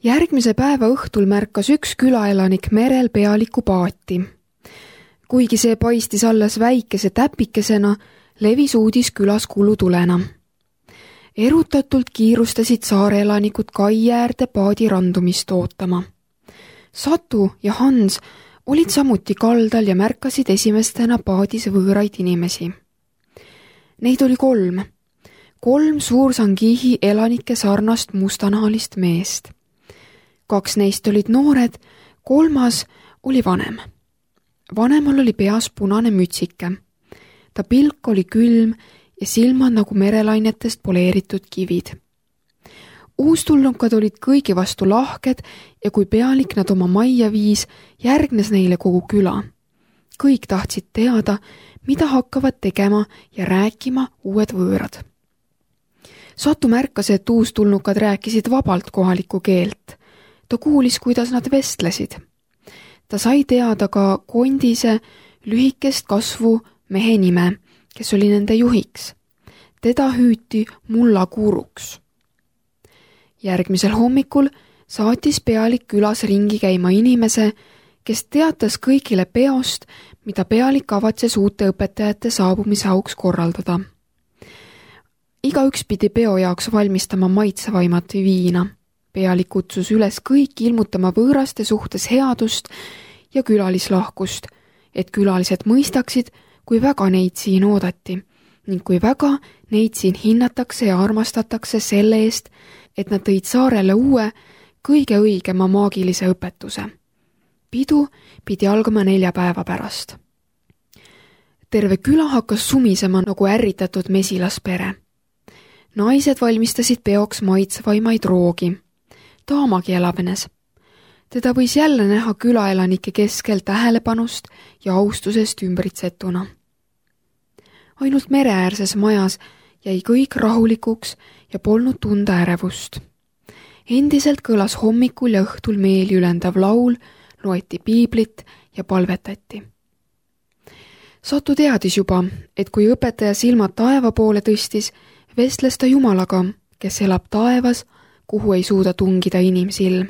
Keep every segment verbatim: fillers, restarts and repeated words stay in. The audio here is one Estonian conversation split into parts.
Järgmise päeva õhtul märkas üks külaelanik merel pealiku paati. Kuigi see paistis alles väikese täpikesena, levis uudis külas kulutulena. Erutatult kiirustasid saareelanikud kai äärde paadi randumist ootama. Satu ja Hans olid samuti kaldal ja märkasid esimestena paadis võõraid inimesi. Neid oli kolm. Kolm Suur-Sangihi elanike sarnast mustanahalist meest. Kaks neist olid noored, kolmas oli vanem. Vanemal oli peas punane mütsike. Ta pilk oli külm ja silmad nagu merelainetest poleeritud kivid. Uustulnukad olid kõigi vastu lahked ja kui pealik nad oma majja viis, järgnes neile kogu küla. Kõik tahtsid teada, mida hakkavad tegema ja rääkima uued võõrad. Satu märkas, et uustulnukad rääkisid vabalt kohalikku keelt. Ta kuulis, kuidas nad vestlesid. Ta sai teada ka kondise lühikest kasvu mehe nime, kes oli nende juhiks. Teda hüüti Mullakuuruks. Järgmisel hommikul saatis pealik külas ringi käima inimese, kes teatas kõigile peost, mida pealik kavatses uute õpetajate saabumise auks korraldada. Igaüks pidi peo jaoks valmistama maitsevaimat viina. Pealik kutsus üles kõik ilmutama võõraste suhtes headust ja külalislahkust, et külalised mõistaksid, kui väga neid siin oodati ning kui väga neid siin hinnatakse ja armastatakse selle eest, et nad tõid saarele uue, kõige õigema maagilise õpetuse. Pidu pidi algama nelja päeva pärast. Terve küla hakkas sumisema nagu ärritatud mesilaspere. Naised valmistasid peoks maitsvaimaid roogi. Taamagi elavnes. Teda võis jälle näha külaelanike keskel tähelepanust ja austusest ümbritsetuna. Ainult mereäärses majas jäi kõik rahulikuks ja polnud tunda ärevust. Endiselt kõlas hommikul ja õhtul meeli ülendav laul, loeti piiblit ja palvetati. Satu teadis juba, et kui õpetaja silmad taeva poole tõstis, vestles ta Jumalaga, kes elab taevas, kuhu ei suuda tungida inimsilm.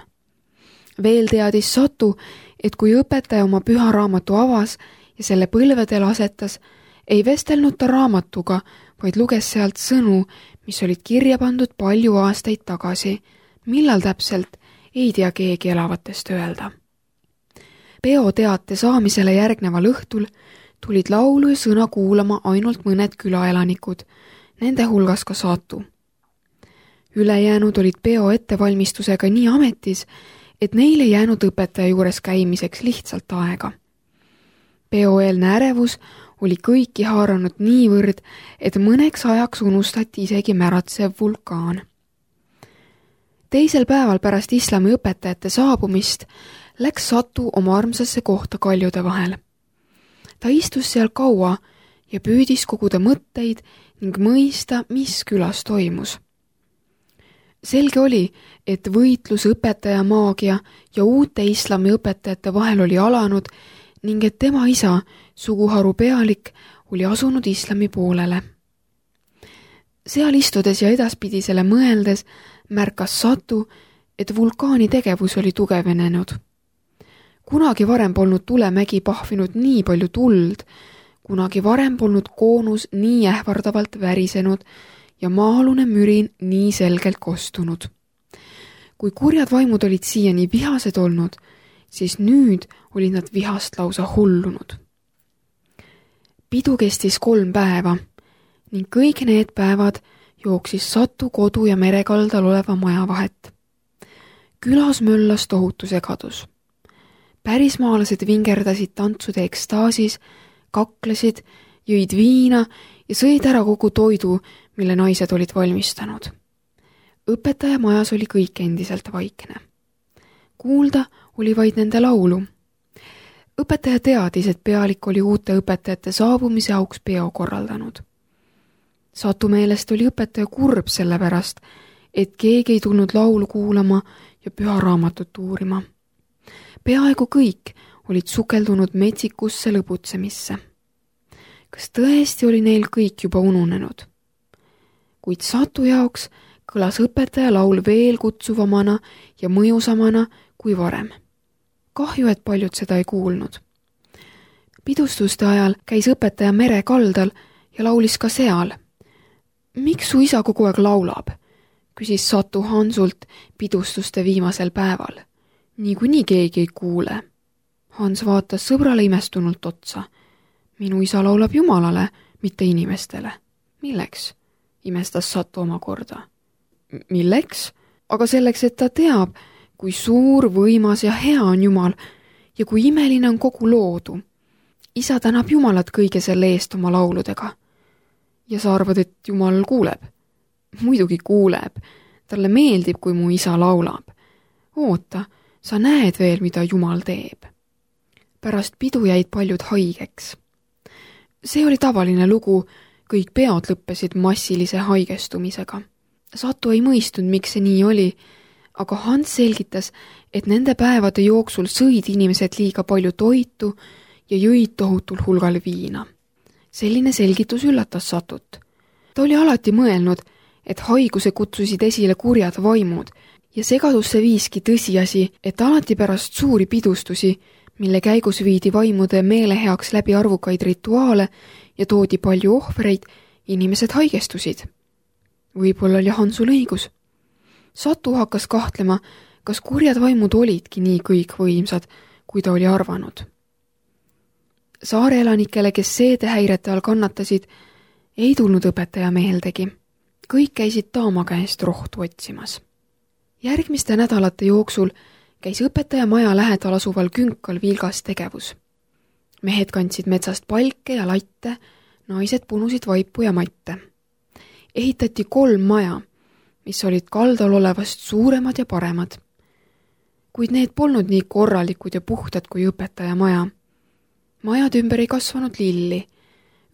Veel teadis Satu, et kui õpetaja oma püha raamatu avas ja selle põlvedel asetas, ei vestelnud ta raamatuga, vaid luges sealt sõnu, mis olid kirja pandud palju aastaid tagasi, millal täpselt ei tea keegi elavatest öelda. Peo teate saamisele järgneval õhtul tulid laulu ja sõna kuulama ainult mõned külaelanikud, nende hulgas ka Satu. Ülejäänud olid peo ettevalmistusega nii ametis, et neil ei jäänud õpetaja juures käimiseks lihtsalt aega. Peoeelne ärevus oli kõiki haaranud niivõrd, et mõneks ajaks unustati isegi märatsev vulkaan. Teisel päeval pärast islami õpetajate saabumist läks Satu oma armsasse kohta kaljude vahel. Ta istus seal kaua ja püüdis koguda mõtteid ning mõista, mis külas toimus. Selge oli, et võitlus õpetaja maagia ja uute islami õpetajate vahel oli alanud ning et tema isa, suguharu pealik, oli asunud islami poolele. Seal istudes ja edaspidisele mõeldes märkas Satu, et vulkaani tegevus oli tugevenenud. Kunagi varem polnud tulemägi pahvinud nii palju tuld, kunagi varem polnud koonus nii ähvardavalt värisenud ja maa-alune mürin nii selgelt kostunud. Kui kurjad vaimud olid siiani vihased olnud, siis nüüd olid nad vihast lausa hullunud. Pidu kestis kolm päeva ning kõik need päevad jooksis Satu kodu ja merekaldal oleva maja vahet. Külas möllas tohutu segadus. Pärismaalased vingerdasid tantsude ekstaasis, kaklesid, jõid viina ja sõid ära kogu toidu, mille naised olid valmistanud. Õpetaja majas oli kõik endiselt vaikne. Kuulda oli vaid nende laulu. Õpetaja teadis, et pealik oli uute õpetajate saabumise auks peo korraldanud. Satu meelest oli õpetaja kurb selle pärast, et keegi ei tulnud laulu kuulama ja püha raamatut uurima. Peaaegu kõik olid sukeldunud metsikusse lõbutsemisse. Kas tõesti oli neil kõik juba ununenud? Kuid Satu jaoks kõlas õpetaja laul veel kutsuvamana ja mõjusamana kui varem. Kahju, et paljud seda ei kuulnud. Pidustuste ajal käis õpetaja mere kaldal ja laulis ka seal. Miks su isa kogu aeg laulab? Küsis Satu Hansult pidustuste viimasel päeval. Niikuinii keegi ei kuule. Hans vaatas sõbrale imestunult otsa. Minu isa laulab Jumalale, mitte inimestele. Milleks? Imestas Satu omakorda. Milleks? Aga selleks, et ta teab, kui suur, võimas ja hea on Jumal ja kui imeline on kogu loodu. Isa tänab Jumalat kõige selle eest oma lauludega. Ja sa arvad, et Jumal kuuleb? Muidugi kuuleb. Talle meeldib, kui mu isa laulab. Oota, sa näed veel, mida Jumal teeb. Pärast pidu jäid paljud haigeks. See oli tavaline lugu, kõik peod lõppesid massilise haigestumisega. Satu ei mõistnud, miks see nii oli, aga Hans selgitas, et nende päevade jooksul sõid inimesed liiga palju toitu ja jõid tohutul hulgal viina. Selline selgitus üllatas Satut. Ta oli alati mõelnud, et haiguse kutsusid esile kurjad vaimud ja segadusse viiski tõsiasi, et alati pärast suuri pidustusi, mille käigus viidi vaimude meeleheaks läbi arvukaid rituaale ja toodi palju ohvreid, inimesed haigestusid. Võib-olla oli Hansul õigus. Satu hakkas kahtlema, kas kurjad vaimud olidki nii kõikvõimsad, kui ta oli arvanud. Saare elanikele, kes seedehäirete all kannatasid, ei tulnud õpetaja meeldegi. Kõik käisid Taama käest rohtu otsimas. Järgmiste nädalate jooksul käis õpetaja maja lähedal asuval künkal vilgas tegevus. Mehed kandsid metsast palke ja latte, naised punusid vaipu ja matte. Ehitati kolm maja, mis olid kaldal olevast suuremad ja paremad. Kuid need polnud nii korralikud ja puhtad kui õpetaja maja. Majad ümber ei kasvanud lilli.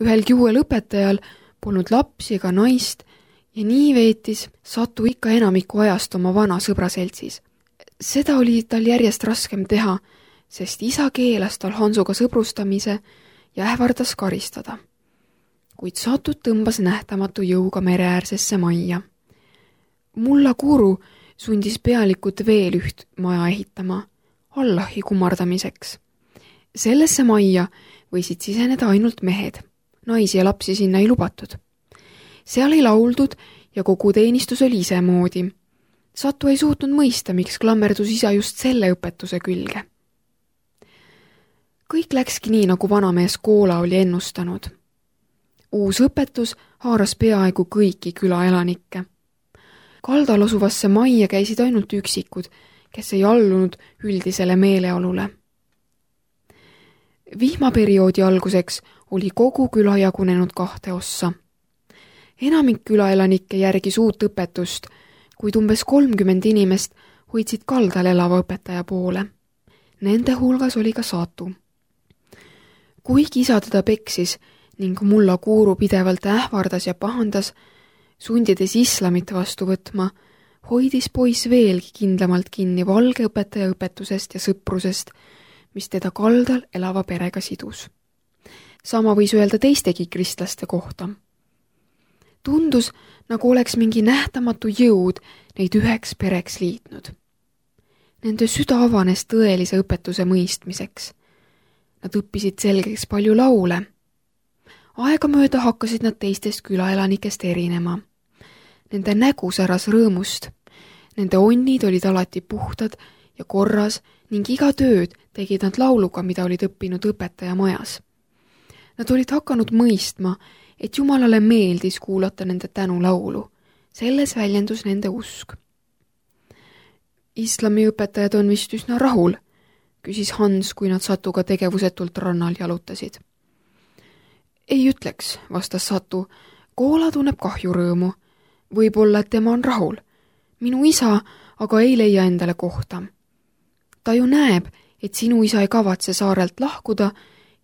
Ühelgi uuel õpetajal polnud lapsi ega naist ja nii veetis Satu ikka enamiku ajast oma vana sõbra seltsis. Seda oli tal järjest raskem teha, sest isa keelas tal Hansuga sõbrustamise ja ähvardas karistada. Kuid Satut tõmbas nähtamatu jõuga mereäärsesse majja. Mulla Kuru sundis pealikut veel üht maja ehitama, Allahi kummardamiseks. Sellesse majja võisid siseneda ainult mehed, naisi ja lapsi sinna ei lubatud. Seal ei lauldud ja kogu teenistus oli isemoodi. Satu ei suutnud mõista, miks klammerdus isa just selle õpetuse külge. Kõik läkski nii, nagu vanamees Koola oli ennustanud. Uus õpetus haaras peaaegu kõiki külaelanikke. Kaldal asuvasse majja käisid ainult üksikud, kes ei allunud üldisele meeleolule. Vihmaperioodi alguseks oli kogu küla jagunenud kahte ossa. Enamik külaelanikke järgis uut õpetust, kuid umbes kolmkümmend inimest hoidsid kaldal elava õpetaja poole. Nende hulgas oli ka Satu. Kuigi isa teda peksis ning Mulla Kuru pidevalt ähvardas ja pahandas, sundides islamit vastu võtma, hoidis poiss veelgi kindlamalt kinni valge õpetaja õpetusest ja sõprusest, mis teda kaldal elava perega sidus. Sama võis öelda teistegi kristlaste kohta. Tundus, nagu oleks mingi nähtamatu jõud neid üheks pereks liitnud. Nende süda avanes tõelise õpetuse mõistmiseks. Nad õppisid selgeks palju laule. Aegamööda hakkasid nad teistest külaelanikest erinema. Nende nägu säras rõõmust. Nende onnid olid alati puhtad ja korras ning iga tööd tegid nad lauluga, mida olid õppinud õpetaja majas. Nad olid hakanud mõistma, et Jumalale meeldis kuulata nende tänulaulu. Selles väljendus nende usk. Islami õpetajad on vist üsna rahul, küsis Hans, kui nad Satuga tegevusetult rannal jalutasid. Ei ütleks, vastas Satu, Koola tunneb kahjurõõmu. Võib-olla, et tema on rahul. Minu isa aga ei leia endale kohta. Ta ju näeb, et sinu isa ei kavatse saarelt lahkuda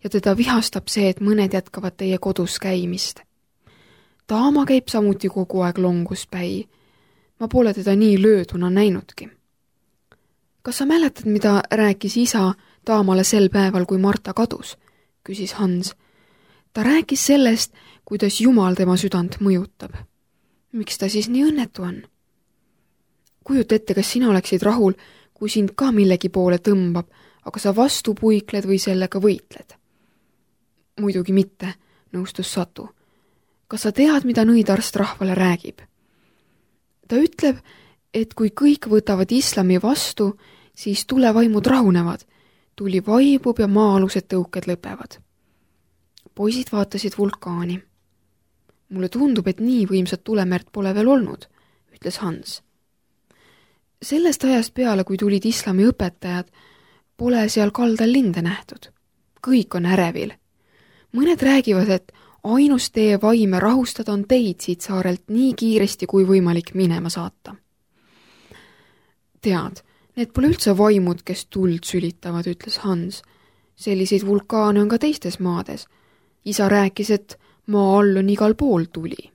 ja teda vihastab see, et mõned jätkavad teie kodus käimist. Taama käib samuti kogu aeg longuspäi. Ma pole teda nii lööduna näinudki. Kas sa mäletad, mida rääkis isa Taamale sel päeval, kui Marta kadus? Küsis Hans. Ta rääkis sellest, kuidas Jumal tema südant mõjutab. Miks ta siis nii õnnetu on? Kujuta ette, kas sina oleksid rahul, kui sind ka millegi poole tõmbab, aga sa vastu puikled või sellega võitled? Muidugi mitte, nõustus Satu. Kas sa tead, mida nõidarst rahvale räägib? Ta ütleb, et kui kõik võtavad islami vastu, siis tulevaimud rahunevad, tuli vaibub ja maa-alused tõuked lõpevad. Poisid vaatasid vulkaani. Mulle tundub, et nii võimsat tulemäärt pole veel olnud, ütles Hans. Sellest ajast peale, kui tulid islami õpetajad, pole seal kaldal linde nähtud. Kõik on ärevil. Mõned räägivad, et ainus tee vaime rahustada on teid siit saarelt nii kiiresti kui võimalik minema saata. Tead, need pole üldse vaimud, kes tuld sülitavad, ütles Hans. Selliseid vulkaane on ka teistes maades. Isa rääkis, et maa all on igal pool tuli.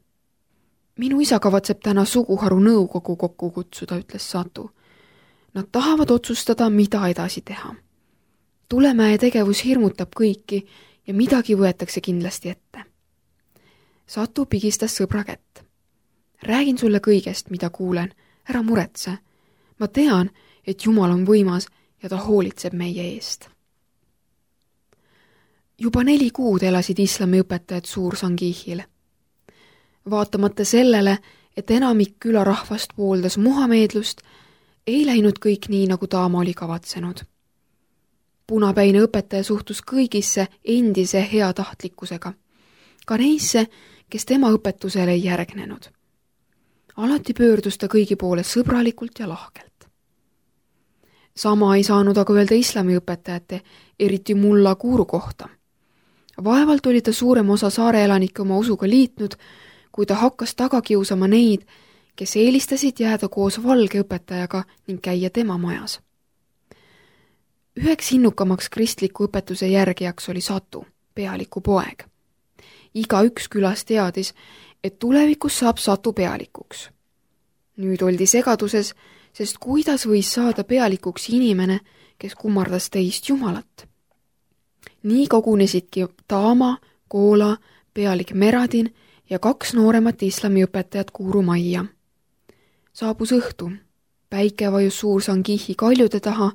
Minu isa kavatseb täna suguharu nõukogu kokku kutsuda, ütles Satu. Nad tahavad otsustada, mida edasi teha. Tulemäe tegevus hirmutab kõiki ja midagi võetakse kindlasti ette. Satu pigistas sõbra kätt. Räägin sulle kõigest, mida kuulen. Ära muretse. Ma tean, et Jumal on võimas ja ta hoolitseb meie eest. Juba neli kuud elasid islami õpetajad Suur-Sangihil. Vaatamata sellele, et enamik külarahvast pooldas muhameedlust, ei läinud kõik nii, nagu Taama oli kavatsenud. Punapäine õpetaja suhtus kõigisse endise heatahtlikkusega, ka neisse, kes tema õpetusele ei järgnenud. Alati pöördus ta kõigi poole sõbralikult ja lahkelt. Sama ei saanud aga öelda islami õpetajate, eriti mulla Kuuru kohta. Vaevalt oli ta suurem osa saare elanike oma usuga liitnud, kui ta hakkas taga kiusama neid, kes eelistasid jääda koos valge õpetajaga ning käia tema majas. Üheks innukamaks kristliku õpetuse järgijaks oli Satu, pealiku poeg. Iga üks külas teadis, et tulevikus saab Satu pealikuks. Nüüd oldi segaduses, sest kuidas võis saada pealikuks inimene, kes kummardas teist Jumalat. Nii kogunesidki Taama, Koola, pealik Meradin ja kaks nooremat islamiõpetajat Kuuru majja. Saabus õhtu, päike vajus Suur-Sangihi kaljude taha,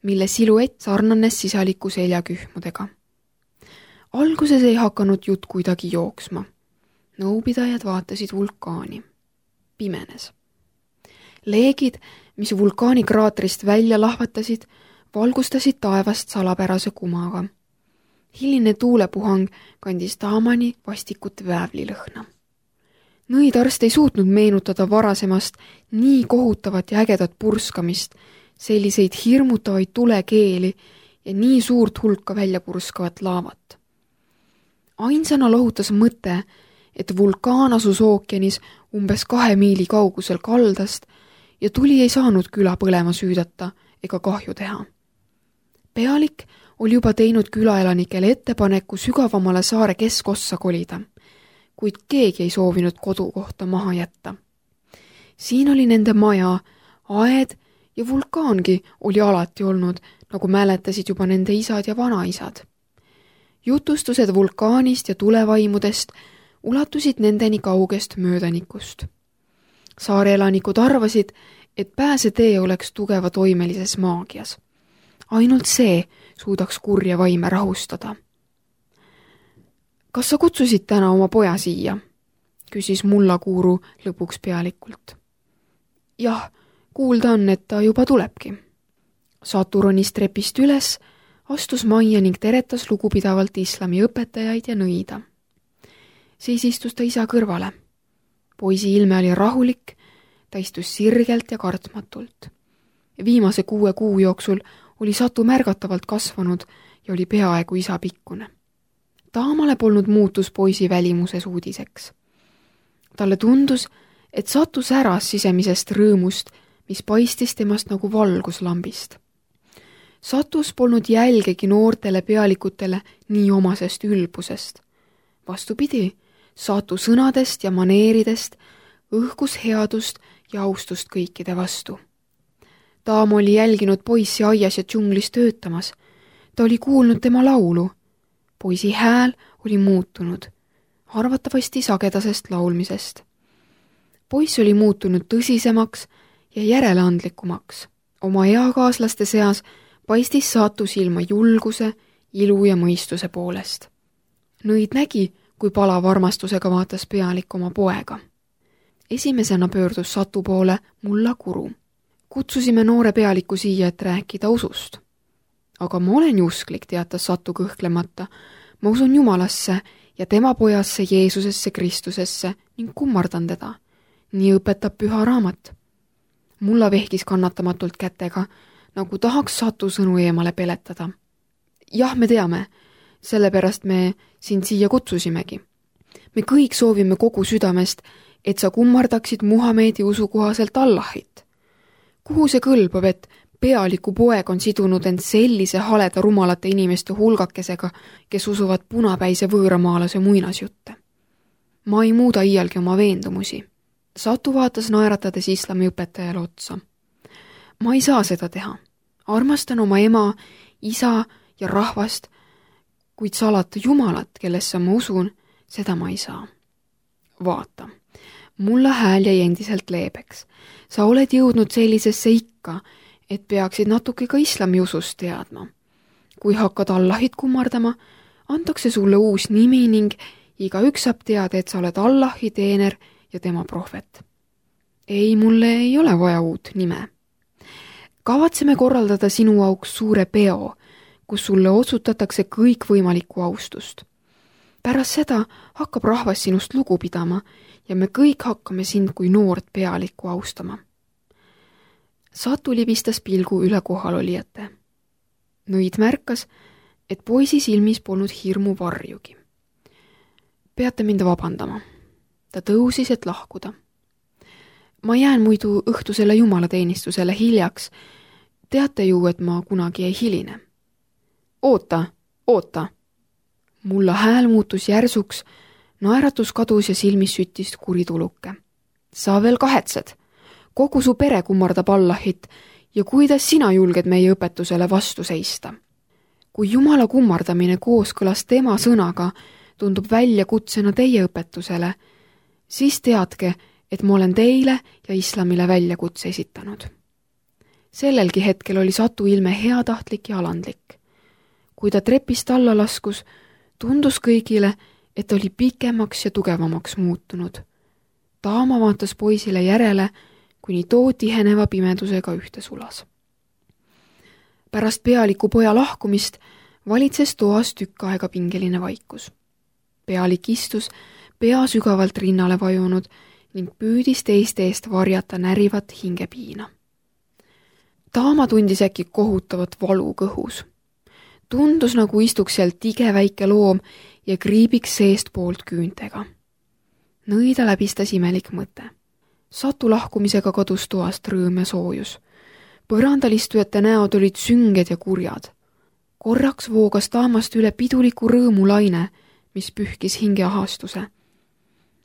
mille siluett sarnanes sisaliku seljakühmudega. Alguses ei hakanud jutt kuidagi jooksma. Nõupidajad vaatasid vulkaani. Pimenes. Leegid, mis vulkaani kraatrist välja lahvatasid, valgustasid taevast salapärase kumaga. Hiline tuulepuhang kandis Taamani vastikut väävlilõhna. Nõidarst ei suutnud meenutada varasemast nii kohutavat ja ägedat purskamist, selliseid hirmutavaid tulekeeli ja nii suurt hulka välja purskavat laavat. Ainsana lohutas mõte, et vulkaan asus ookeanis umbes kahe miili kaugusel kaldast ja tuli ei saanud küla põlema süüdata ega kahju teha. Pealik oli juba teinud külaelanikele ettepaneku sügavamale saare keskossa kolida, kuid keegi ei soovinud kodukohta maha jätta. Siin oli nende maja, aed ja vulkaangi oli alati olnud, nagu mäletasid juba nende isad ja vanaisad. Jutustused vulkaanist ja tulevaimudest ulatusid nendeni kaugest möödanikust. Saare elanikud arvasid, et pääsetee oleks tugeva toimelises maagias. Ainult see suudaks kurja vaime rahustada. Kas sa kutsusid täna oma poja siia? Küsis mulla Kuuru lõpuks pealikult. Jah, kuulda on, et ta juba tulebki. Satu ronis trepist üles, astus majja ning teretas lugupidavalt islami õpetajaid ja nõida. Siis istus ta isa kõrvale. Poisi ilme oli rahulik, ta istus sirgelt ja kartmatult. Viimase kuue kuu jooksul oli Satu märgatavalt kasvanud ja oli peaaegu isa pikkune. Taamale polnud muutus poisi välimuses uudiseks. Talle tundus, et Satu säras sisemisest rõõmust, mis paistis temast nagu valguslambist. Satus polnud jälgegi noortele pealikutele nii omasest ülbusest. Vastupidi, Satu sõnadest ja maneeridest õhkus headust ja austust kõikide vastu. Taam oli jälginud poissi aias ja džunglis töötamas. Ta oli kuulnud tema laulu. Poisi hääl oli muutunud, arvatavasti sagedasest laulmisest. Poiss oli muutunud tõsisemaks ja järeleandlikumaks. Oma eakaaslaste seas paistis Saatu silma julguse, ilu ja mõistuse poolest. Nõid nägi, kui palava armastusega vaatas pealik oma poega. Esimesena pöördus Satu poole Mulla Kuru. Kutsusime noore pealiku siia, et rääkida usust. Aga ma olen ju usklik, teatas Satu kõhklemata. Ma usun Jumalasse ja tema pojasse Jeesusesse Kristusesse ning kummardan teda. Nii õpetab püha raamat. Mulla vehkis kannatamatult kätega, nagu tahaks Satu sõnu eemale peletada. Jah, me teame, sellepärast me sind siia kutsusimegi. Me kõik soovime kogu südamest, et sa kummardaksid Muhamedi usu kohaselt Allahit. Kuhu see kõlbab, et pealiku poeg on sidunud end sellise haleda rumalate inimeste hulgakesega, kes usuvad punapäise võõramaalase muinasjutte? Ma ei muuda iialgi oma veendumusi. Satu vaatas naeratades islami õpetajale otsa. Ma ei saa seda teha. Armastan oma ema, isa ja rahvast, kuid salata Jumalat, kellesse ma usun, seda ma ei saa. Vaata, mulla hääl jäi endiselt leebeks. Sa oled jõudnud sellisesse ikka, et peaksid natuke ka islami usust teadma. Kui hakkad Allahit kummardama, antakse sulle uus nimi ning igaüks saab teada, et sa oled Allahi teener ja tema prohvet. Ei, mulle ei ole vaja uut nime. Kavatseme korraldada sinu auks suure peo, kus sulle otsutatakse kõik võimalikku austust. Pärast seda hakkab rahvas sinust lugu pidama ja me kõik hakkame sind kui noort pealikku austama. Satu libistas pilgu üle kohalolijate. Nõid märkas, et poisi silmis polnud hirmu varjugi. Peate mind vabandama. Ta tõusis, et lahkuda. Ma jään muidu õhtusele jumalateenistusele hiljaks. Teate ju, et ma kunagi ei hiline. Oota, oota. Mulla hääl muutus järsuks, naeratus kadus ja silmis süttis kurituluke. Sa veel kahetsed. Kogu su pere kummardab Allahit ja kuidas sina julged meie õpetusele vastu seista? Kui Jumala kummardamine kooskõlas tema sõnaga tundub välja kutsena teie õpetusele, siis teadke, et ma olen teile ja islamile väljakutse esitanud. Sellelgi hetkel oli Satu ilme heatahtlik ja alandlik. Kui ta trepist alla laskus, tundus kõigile, et oli pikemaks ja tugevamaks muutunud. Taama vaatas poisile järele, kuni too tiheneva pimedusega ühte sulas. Pärast pealiku poja lahkumist valitses toas tükk aega pingeline vaikus. Pealik istus, pea sügavalt rinnale vajunud ning püüdis teiste eest varjata närivat hingepiina. Taama tundis äkki kohutavat valu kõhus. Tundus nagu istuks seal tige väike loom ja kriibiks seest poolt küüntega. Nõida läbistas imelik mõte. Satu lahkumisega kadus toast rõõm ja soojus. Põrandalistujate näod olid sünged ja kurjad. Korraks voogas Taamast üle piduliku rõõmulaine, mis pühkis hingeahastuse.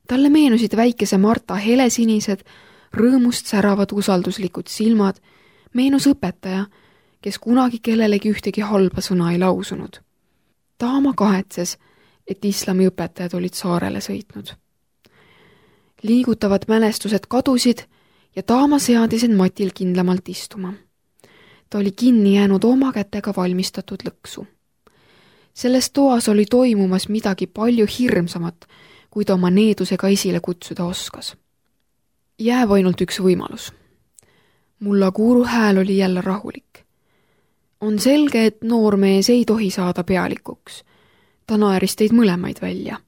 Talle meenusid väikese Marta helesinised, rõõmust säravad usalduslikud silmad, meenus õpetaja, kes kunagi kellelegi ühtegi halba sõna ei lausunud. Taama kahetses, et islami õpetajad olid saarele sõitnud. Liigutavad mälestused kadusid ja Taama seadis end matil kindlamalt istuma. Ta oli kinni jäänud oma kätega valmistatud lõksu. Selles toas oli toimumas midagi palju hirmsamat, kui ta oma needusega esile kutsuda oskas. Jääb ainult üks võimalus. Mulla Kuru hääl oli jälle rahulik. On selge, et noormees ei tohi saada pealikuks. Ta naeris teid mõlemaid välja.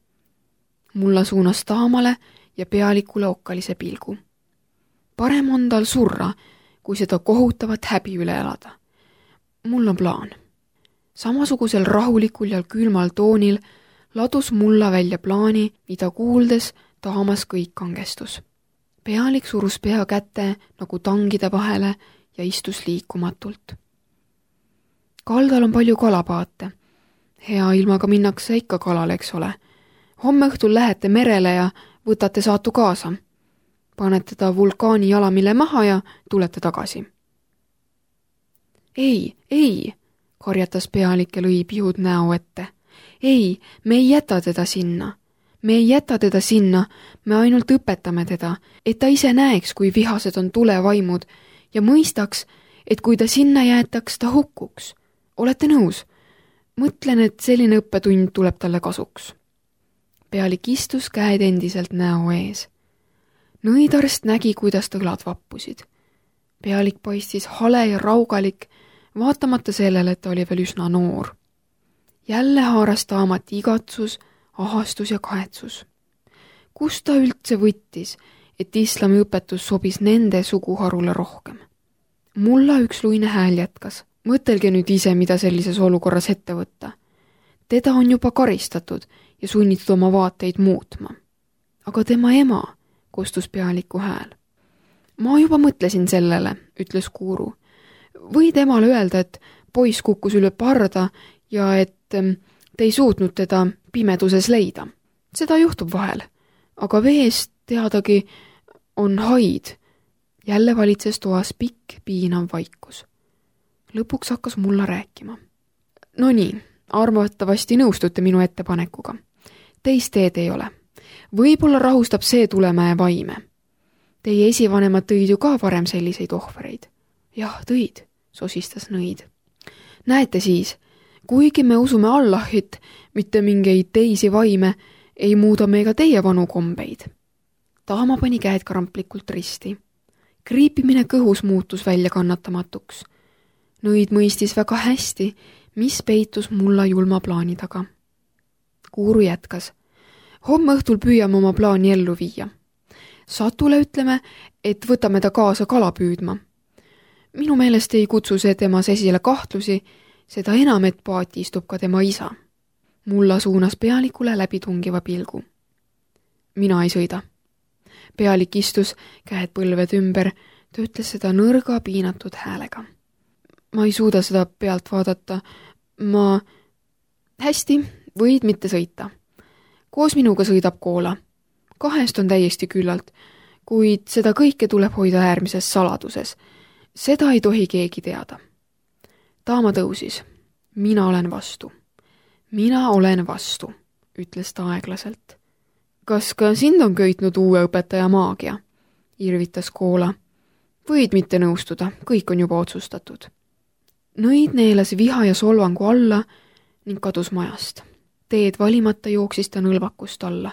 Mulla suunas Taamale ja pealikule okkalise pilgu. Parem on tal surra, kui seda kohutavat häbi üle elada. Mul on plaan. Samasugusel rahulikul ja külmal toonil ladus Mulla välja plaani, mida kuuldes Taamas kõik kangestus. Pealik surus pea kätte nagu tangide vahele ja istus liikumatult. Kaldal on palju kalapaate. Hea ilmaga minnakse ikka kalale, eks ole. Homme õhtul lähete merele ja võtate Saatu kaasa. Panete ta vulkaani jalamile maha ja tulete tagasi. Ei, ei, karjatas pealik ja lõi pihud näo ette. Ei, me ei jäta teda sinna. Me ei jäta teda sinna, me ainult õpetame teda, et ta ise näeks, kui vihased on tulevaimud ja mõistaks, et kui ta sinna jäetaks, ta hukkuks. Olete nõus? Mõtlen, et selline õppetund tuleb talle kasuks. Pealik istus käed endiselt näo ees. Nõidarst nägi, kuidas ta õlad vappusid. Pealik paistis hale ja raugalik, vaatamata sellele, et ta oli veel üsna noor. Jälle haaras ta amati igatsus, ahastus ja kahetsus. Kus ta üldse võttis, et islami õpetus sobis nende suguharule rohkem? Mulla üks luine hääl jätkas. Mõtelge nüüd ise, mida sellises olukorras ette võtta. Teda on juba karistatud ja sunnitud oma vaateid muutma. Aga tema ema, kostus pealiku hääl. Ma juba mõtlesin sellele, ütles Kuuru. Võid emale öelda, et poiss kukkus üle parda ja et te ei suutnud teda pimeduses leida. Seda juhtub vahel, aga veest teadagi on haid. Jälle valitses toas pikk piinav vaikus. Lõpuks hakkas Mulla rääkima. No nii, arvatavasti nõustute minu ettepanekuga. Teist teed ei ole. Võib-olla rahustab see Tulemäe vaime. Teie esivanemad tõid ju ka varem selliseid ohvreid. Jah, tõid, sosistas nõid. Näete siis, kuigi me usume Allahit, mitte mingeid teisi vaime, ei muuda me ega teie vanu kombeid. Taama pani käed kramplikult risti. Kriipimine kõhus muutus välja kannatamatuks. Nõid mõistis väga hästi, mis peitus Mulla julma plaani taga. Kuuru jätkas. Homme õhtul püüame oma plaani ellu viia. Satule ütleme, et võtame ta kaasa kala püüdma. Minu meelest ei kutsu see temas esile kahtlusi, seda enam, et paati istub ka tema isa. Mulla suunas pealikule läbi tungiva pilgu. Mina ei sõida. Pealik istus, käed põlved ümber, ta ütles seda nõrga piinatud häälega. Ma ei suuda seda pealt vaadata. Ma... Hästi, võid mitte sõita. Koos minuga sõidab Koola. Kahest on täiesti küllalt, kuid seda kõike tuleb hoida äärmises saladuses. Seda ei tohi keegi teada. Taama tõusis. Mina olen vastu. Mina olen vastu, ütles ta aeglaselt. Kas ka sind on köitnud uue õpetaja maagia? Irvitas Koola. Võid mitte nõustuda, kõik on juba otsustatud. Nõid neelas viha ja solvangu alla ning kadus majast. Teed valimata jooksis ta nõlvakust alla.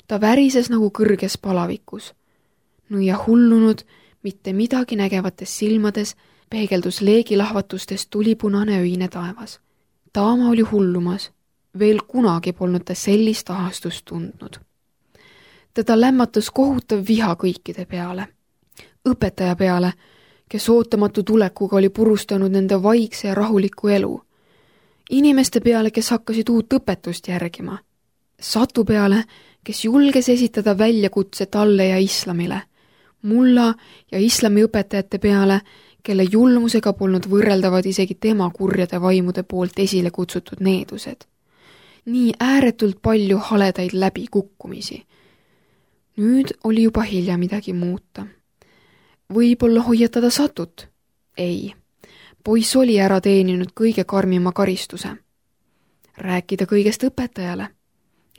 Ta värises nagu kõrges palavikus. Nõia hullunud, mitte midagi nägevates silmades peegeldus leegilahvatustest tulipunane öine taevas. Taama oli hullumas. Veel kunagi polnud ta sellist ahastust tundnud. Teda lämmatas kohutav viha kõikide peale. Õpetaja peale, kes ootamatu tulekuga oli purustanud nende vaikse ja rahuliku elu. Inimeste peale, kes hakkasid uut õpetust järgima. Satu peale, kes julges esitada väljakutse talle ja islamile. Mulla ja islami õpetajate peale, kelle julmusega polnud võrreldavad isegi tema kurjade vaimude poolt esile kutsutud needused. Nii ääretult palju haledaid läbikukkumisi. Nüüd oli juba hilja midagi muuta. Võib-olla hoiatada Satut? Ei. Poiss oli ära teeninud kõige karmima karistuse. Rääkida kõigest õpetajale?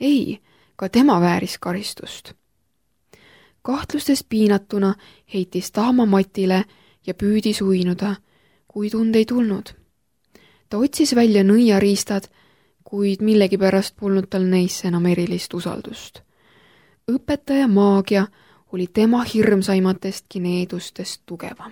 Ei, ka tema vääris karistust. Kahtlustest piinatuna heitis Taama matile ja püüdis uinuda, kui tund ei tulnud. Ta otsis välja nõiariistad, kuid millegipärast polnud tal neisse enam erilist usaldust. Õpetaja maagia oli tema hirmsaimatestki needustest tugevam.